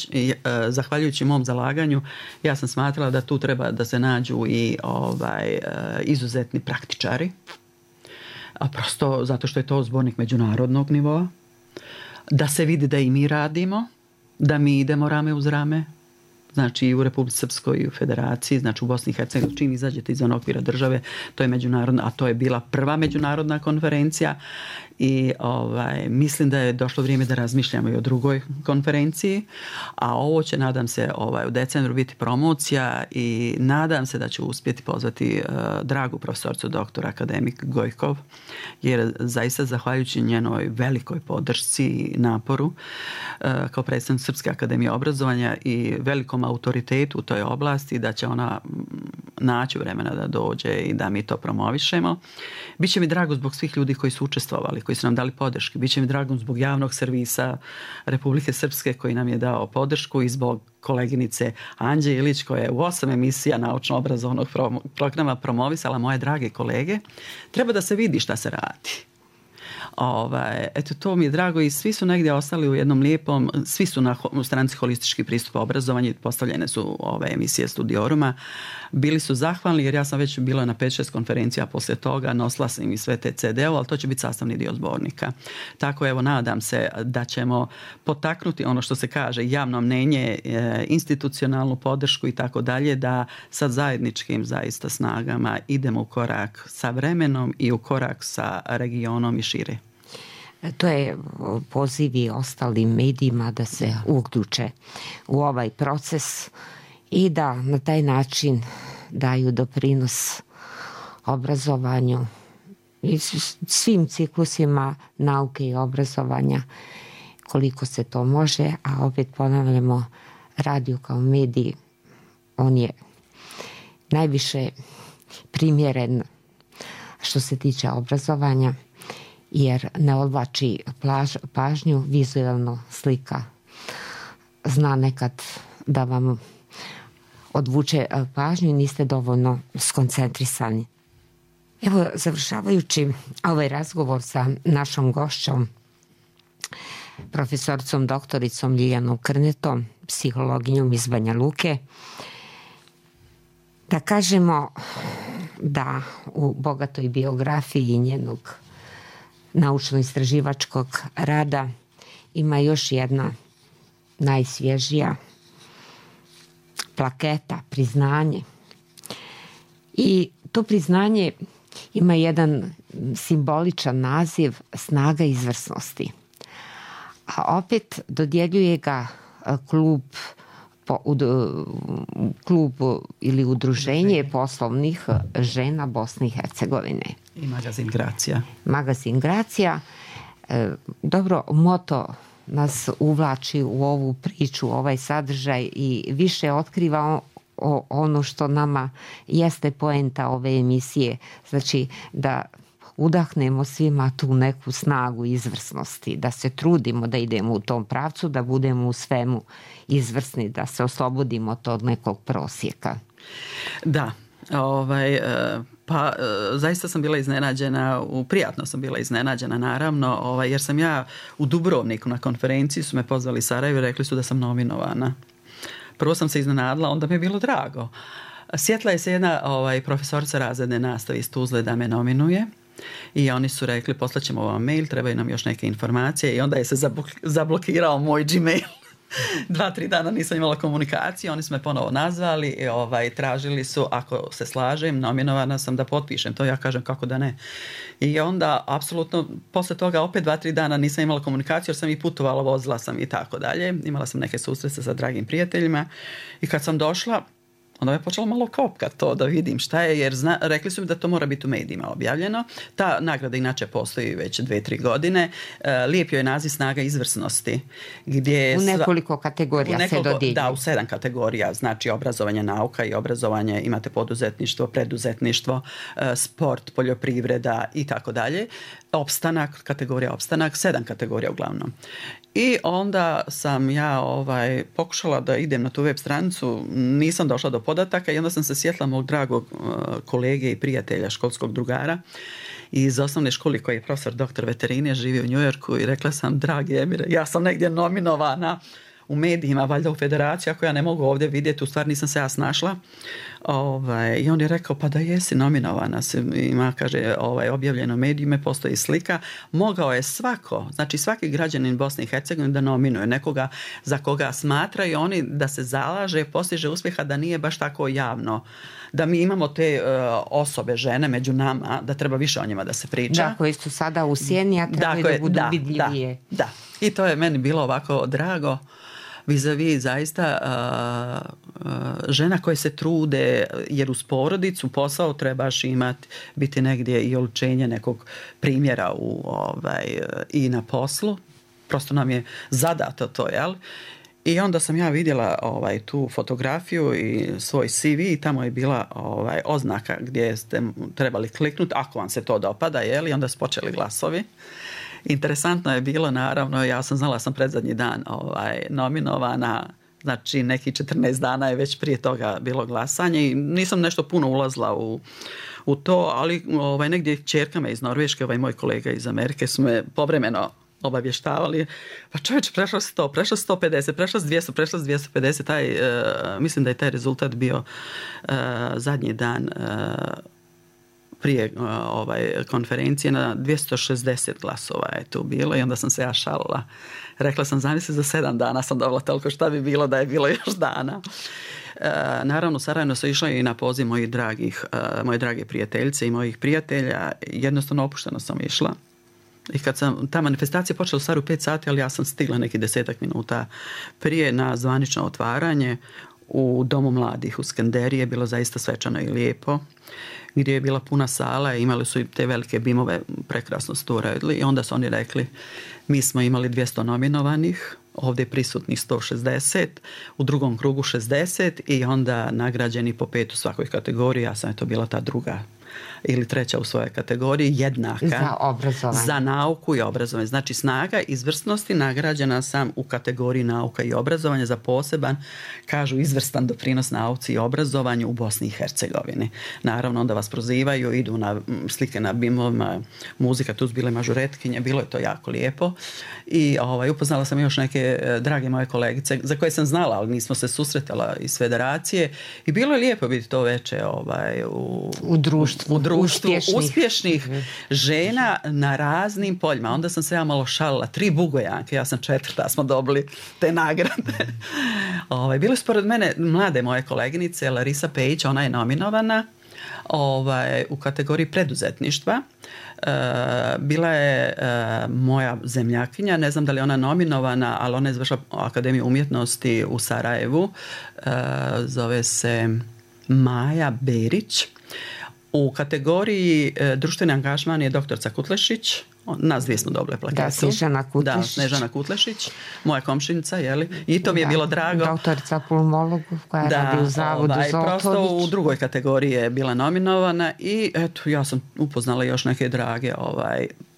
Zahvaljujući mom zalaganju, ja sam smatrala da tu treba da se nađu i izuzetni praktičari, a prosto zato što je to zbornik međunarodnog nivoa, da se vidi da i mi radimo, da mi idemo rame uz rame, znači i u Republici Srpskoj i u Federaciji, znači u Bosni i Hercegovini, čim izađete izvan okvira države, to je međunarodna, a to je bila prva međunarodna konferencija i mislim da je došlo vrijeme da razmišljamo i o drugoj konferenciji, a ovo će, nadam se, u decembru biti promocija i nadam se da ću uspjeti pozvati dragu profesoricu doktora akademik Gojkov, jer zaista zahvaljujući njenoj velikoj podršci i naporu kao predstavnik Srpske akademije obrazovanja i velikom autoritetu u toj oblasti, da će ona naći vremena da dođe i da mi to promovišemo. Biće mi drago zbog svih ljudi koji su učestvovali, koji su nam dali podrške. Biće mi drago zbog javnog servisa Republike Srpske koji nam je dao podršku i zbog koleginice Anđe Ilić koja je u 8 emisija naučno-obrazovnog programa promovisala moje drage kolege. Treba da se vidi šta se radi. Eto, to mi je drago i svi su negdje ostali u jednom lijepom, svi su na stranici holistički pristup obrazovanju, postavljene su ove emisije Studioruma, bili su zahvalni jer ja sam već bila na 5-6 konferencija poslije toga, nosila sam im i sve te CD-ove, ali to će biti sastavni dio zbornika. Tako evo, nadam se da ćemo potaknuti ono što se kaže javno mnenje, institucionalnu podršku i tako dalje, da sa zajedničkim zaista snagama idemo u korak sa vremenom i u korak sa regionom i šire. To je poziv i ostalim medijima da se uključe u ovaj proces i da na taj način daju doprinos obrazovanju i svim ciklusima nauke i obrazovanja koliko se to može, a opet ponavljamo, radio kao medij, on je najviše primjeren što se tiče obrazovanja, jer ne odvlači pažnju, vizualno slika zna nekad da vam odvuče pažnju i niste dovoljno skoncentrisani. Evo, završavajući ovaj razgovor sa našom gošćom, profesoricom doktoricom Ljiljanom Krnetom, psihologinjom iz Banja Luke, da kažemo da u bogatoj biografiji njenog naučno-istraživačkog rada ima još jedna najsvježija plaketa, priznanje. I to priznanje ima jedan simboličan naziv Snaga izvrsnosti. A opet dodjeljuje ga klub ili udruženje poslovnih žena Bosne i Hercegovine. I magazin Gracija. Magazin Gracija. Dobro, moto nas uvlači u ovu priču, ovaj sadržaj i više otkriva ono što nama jeste poenta ove emisije. Znači da udahnemo svima tu neku snagu izvrsnosti, da se trudimo da idemo u tom pravcu, da budemo u svemu izvrsni, da se oslobodimo od nekog prosjeka. Da, Pa zaista sam bila iznenađena, prijatno sam bila iznenađena naravno, jer sam ja u Dubrovniku na konferenciji su me pozvali iz Sarajeva i rekli su da sam nominovana. Prvo sam se iznenadila, onda mi je bilo drago. Sjetla je se jedna profesorica razredne nastave iz Tuzle da me nominuje i oni su rekli poslaćemo vam mail, trebaju nam još neke informacije i onda je se zablokirao moj Gmail. 2-3 dana nisam imala komunikaciju, oni su me ponovo nazvali i tražili su ako se slažem, nominovana sam da potpišem to, ja kažem kako da ne. I onda apsolutno posle toga opet 2-3 dana nisam imala komunikaciju jer sam i putovala, vozila sam i tako dalje, imala sam neke susrete sa dragim prijateljima i kad sam došla onda je počela malo kopkat to da vidim šta je, jer rekli su mi da to mora biti u medijima objavljeno. Ta nagrada inače postoji već 2-3 godine. Lijep joj je naziv Snaga izvrsnosti. Gdje u nekoliko kategorija se dodjeljuje. Da, u 7 kategorija. Znači obrazovanje, nauka i obrazovanje, imate poduzetništvo, preduzetništvo, sport, poljoprivreda i tako dalje. Opstanak, kategorija opstanak, 7 kategorija uglavnom. I onda sam ja pokušala da idem na tu web stranicu, nisam došla do podataka i onda sam se sjetila mog dragog kolege i prijatelja, školskog drugara iz osnovne škole koji je profesor doktor veterine, živi u Njujorku i rekla sam, dragi Emire, ja sam negdje nominovana u medijima, valjda u federaciji, ako ja ne mogu ovdje vidjeti, u stvari nisam se ja snašla. I on je rekao, pa da jesi nominovana, ima, kaže, objavljeno u medijima, postoji slika, mogao je znači svaki građanin Bosne i Hercegovine da nominuje nekoga za koga smatraju oni da se zalaže, postiže uspjeha, da nije baš tako javno, da mi imamo te osobe, žene među nama, da treba više o njima da se priča. Da, koji su sada u sjeni, a trebaju da budu vidljivije. Da, i to je meni bilo ovako drago, vis-a-vis zaista žena koje se trude, jer uz porodicu posao trebaš imati, biti negdje i oličenje nekog primjera i na poslu. Prosto nam je zadato to, jel? I onda sam ja vidjela tu fotografiju i svoj CV i tamo je bila oznaka gdje ste trebali kliknuti ako vam se to dopada, jel? I onda su počeli glasovi. Interesantno je bilo, naravno, ja sam znala sam predzadnji dan nominovana, znači neki 14 dana je već prije toga bilo glasanje i nisam nešto puno ulazila u to, ali negdje ćerkama iz Norveške, moj kolega iz Amerike su me povremeno obavještavali, pa čovječ, prešlo 100, prešlo 150, prešlo 200, prešlo 250, mislim da je taj rezultat bio zadnji dan prije konferencije, na 260 glasova je tu bilo i onda sam se ja šalila. Rekla sam, zamisli za 7 dana sam dobila toliko, šta bi bilo da je bilo još dana. Naravno, Sarajevno su išla i na poziv moje drage prijateljice i mojih prijatelja. Jednostavno opušteno sam išla. I kad sam, ta manifestacija počela u stvari u 5 sati, ali ja sam stigla neki 10 minuta prije na zvanično otvaranje u Domu mladih u Skenderiji. Je bilo zaista svečano i lijepo, gdje je bila puna sala i imali su i te velike bimove, prekrasno su to uradili i onda su oni rekli, mi smo imali 200 nominovanih, ovdje je prisutnih 160, u drugom krugu 60 i onda nagrađeni po 5 u svakoj kategoriji, ja sam to bila ta druga ili treća u svojoj kategoriji, jednaka za obrazovanje, za nauku i obrazovanje. Znači snaga izvrsnosti, nagrađena sam u kategoriji nauka i obrazovanje za poseban, kažu, izvrstan doprinos nauci i obrazovanju u Bosni i Hercegovini. Naravno, onda vas prozivaju, idu na slike na bimovima, muzika, tu su bile mažuretkinje, bilo je to jako lijepo i upoznala sam još neke drage moje kolegice za koje sam znala, ali nismo se susretala iz federacije i bilo je lijepo biti to veče u društvu uspješnih žena na raznim poljima. Onda sam se ja malo šalila, 3 Bugojanke, ja sam 4. smo dobili te nagrade. Bile su pored mene mlade moje koleginice, Larisa Pejić, ona je nominovana u kategoriji preduzetništva. Bila je moja zemljakinja, ne znam da li je ona nominovana, ali ona je završila Akademiju umjetnosti u Sarajevu, zove se Maja Berić. U kategoriji društveni angažman je doktorca Kutlešić. Nas dvije smo dobile plaketu. Da, Snežana Kutlešić, moja komšinica, jeli? I to mi je bilo drago. Doktorica pulmologu koja radi u zavodu Zoltović. Prosto u drugoj kategoriji je bila nominovana i eto, ja sam upoznala još neke drage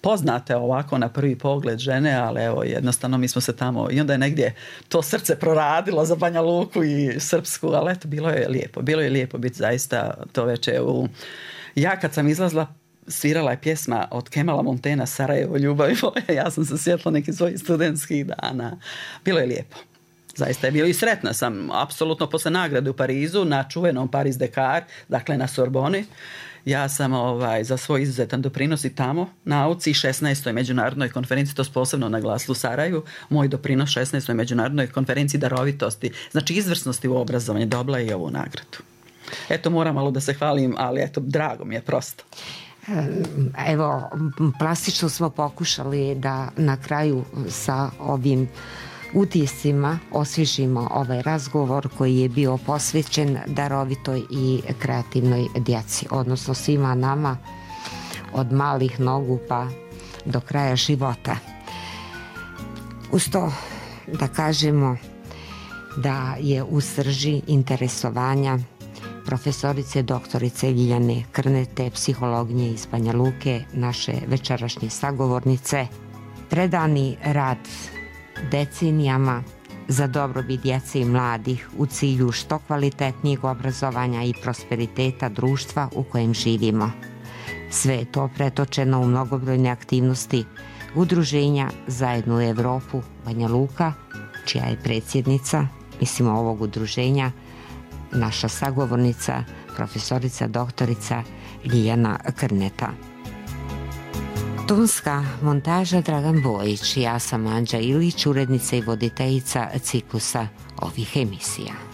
poznate ovako na prvi pogled žene, ali evo jednostavno mi smo se tamo i onda je negdje to srce proradilo za Banja Luku i Srpsku, ali eto bilo je lijepo biti zaista to veče u Ja kad sam izlazila, svirala je pjesma od Kemala Montaignea Sarajevo, ljubavi moja. Ja sam se sjetila nekih svojih studentskih dana. Bilo je lijepo. Zaista je bilo i sretna sam apsolutno posle nagrade u Parizu na čuvenom Paris Dakar, dakle na Sorboni. Ja sam za svoj izuzetan doprinos i tamo nauci 16. međunarodnoj konferenciji, to posebno naglasilo u Sarajevu, moj doprinos 16. međunarodnoj konferenciji darovitosti, znači izvrsnosti u obrazovanju, dobila je i ovu nagradu. Eto, moram malo da se hvalim, ali eto, drago mi je prosto. Evo, plastično smo pokušali da na kraju sa ovim utiscima osvježimo ovaj razgovor koji je bio posvećen darovitoj i kreativnoj djeci, odnosno svima nama od malih nogu pa do kraja života. Uz to da kažemo da je u srži interesovanja profesorice doktorice Ljiljane Krnete, psihologinje iz Banja Luke, naše večerašnje sagovornice, predani rad decenijama za dobrobit djece i mladih u cilju što kvalitetnijeg obrazovanja i prosperiteta društva u kojem živimo. Sve je to pretočeno u mnogobrojne aktivnosti udruženja Zajedno u Evropu Banja Luka, čija je predsjednica, ovog udruženja, naša sagovornica, profesorica doktorica Ljiljana Krneta. Tonska montaža Dragan Bojić, ja sam Anđa Ilić, urednica i voditeljica ciklusa ovih emisija.